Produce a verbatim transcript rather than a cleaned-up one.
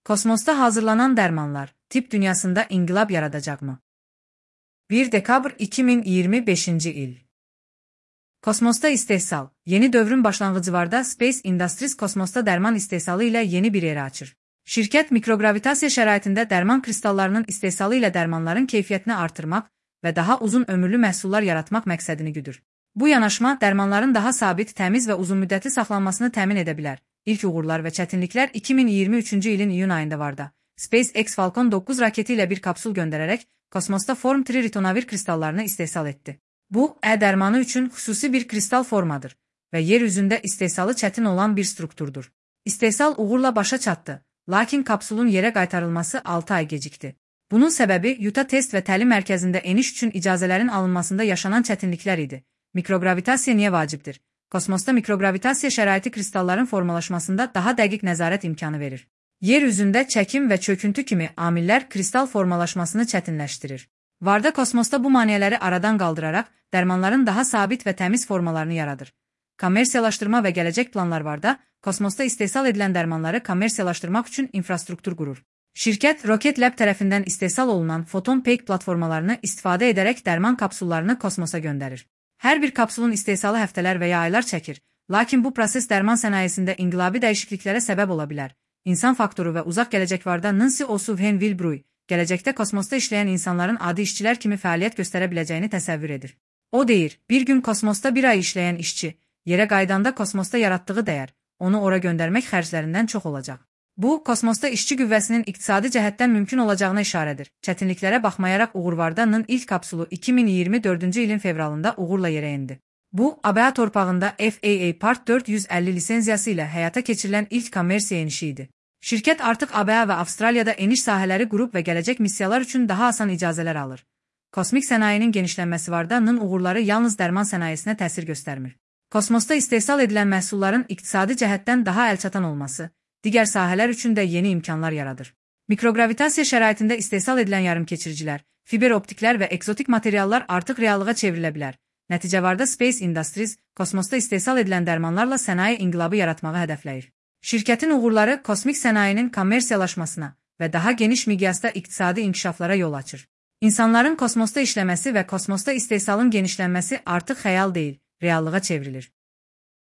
Kosmosda hazırlanan dərmanlar tibb dünyasında inqilab yaradacaqmı? bir dekabr iki min iyirmi beşinci il. Kosmosda istehsal. Yeni dövrün başlanğıcı varda Space Industries kosmosda dərman istehsalı ilə yeni bir era açır. Şirkət mikrogravitasiya şəraitində dərman kristallarının istehsalı ilə dərmanların keyfiyyətini artırmaq və daha uzun ömürlü məhsullar yaratmaq məqsədini güdür. Bu yanaşma dərmanların daha sabit, təmiz və uzunmüddətli saxlanmasını təmin edə bilər. İlk uğurlar və çətinliklər iki min iyirmi üçüncü ilin iyun ayında vardı. SpaceX Falcon doqquz raketi ilə bir kapsul göndərərək kosmosda form üç ritonavir kristallarını istehsal etdi. Bu, ə-dərmanı üçün xüsusi bir kristal formadır və yer üzündə istehsalı çətin olan bir strukturdur. İstehsal uğurla başa çatdı, lakin kapsulun yerə qaytarılması altı ay gecikdi. Bunun səbəbi Utah test və təlim mərkəzində eniş üçün icazələrin alınmasında yaşanan çətinliklər idi. Mikrogravitasiya niyə vacibdir? Kosmosda mikrogravitasiya şəraiti kristalların formalaşmasında daha dəqiq nəzarət imkanı verir. Yer üzündə çəkim və çöküntü kimi amillər kristal formalaşmasını çətinləşdirir. Varda kosmosda bu maneələri aradan qaldıraraq dərmanların daha sabit və təmiz formalarını yaradır. Kommersiyalaşdırma və gələcək planlar varda, kosmosda istehsal edilən dərmanları kommersiyalaşdırmaq üçün infrastruktur qurur. Şirkət Rocket Lab tərəfindən istehsal olunan Photon Peak platformalarını istifadə edərək dərman kapsullarını kosmosa göndərir. Hər bir kapsulun istehsalı həftələr və ya aylar çəkir, lakin bu proses dərman sənayesində inqilabi dəyişikliklərə səbəb ola bilər. İnsan faktoru və uzaq gələcək varda Nancy O'Sullivan Wilbroy, gələcəkdə kosmosda işləyən insanların adi işçilər kimi fəaliyyət göstərə biləcəyini təsəvvür edir. O deyir, bir gün kosmosda bir ay işləyən işçi, yerə qaydanda kosmosda yaratdığı dəyər, onu ora göndərmək xərclərindən çox olacaq. Bu, kosmosda işçi qüvvəsinin iqtisadi cəhətdən mümkün olacağına işarədir. Çətinliklərə baxmayaraq Uğurvardanın ilk kapsulu iki min iyirmi dördüncü ilin fevralında uğurla yerə endi. Bu, A B A torpağında F A A Part dörd yüz əlli lisenziyası ilə həyata keçirilən ilk kommersiya enişi idi. Şirkət artıq A B A və Avstraliyada eniş sahələri qurub və gələcək missiyalar üçün daha asan icazələr alır. Kosmik sənayenin genişlənməsi vardanın uğurları yalnız dərman sənayesinə təsir göstərmir. Kosmosda istehsal edilən məhsulların iqtisadi cəhətdən daha əlçatan olması, digər sahələr üçün də yeni imkanlar yaradır. Mikrogravitasiya şəraitində istehsal edilən yarımkeçiricilər, fiber optiklər və ekzotik materiallar artıq reallığa çevrilə bilər. Nəticə varda Space Industries, kosmosda istehsal edilən dərmanlarla sənaye inqilabı yaratmağı hədəfləyir. Şirkətin uğurları kosmik sənayenin kommersiyalaşmasına və daha geniş miqyasda iqtisadi inkişaflara yol açır. İnsanların kosmosda işləməsi və kosmosda istehsalın genişlənməsi artıq xəyal deyil, reallığa çevrilir.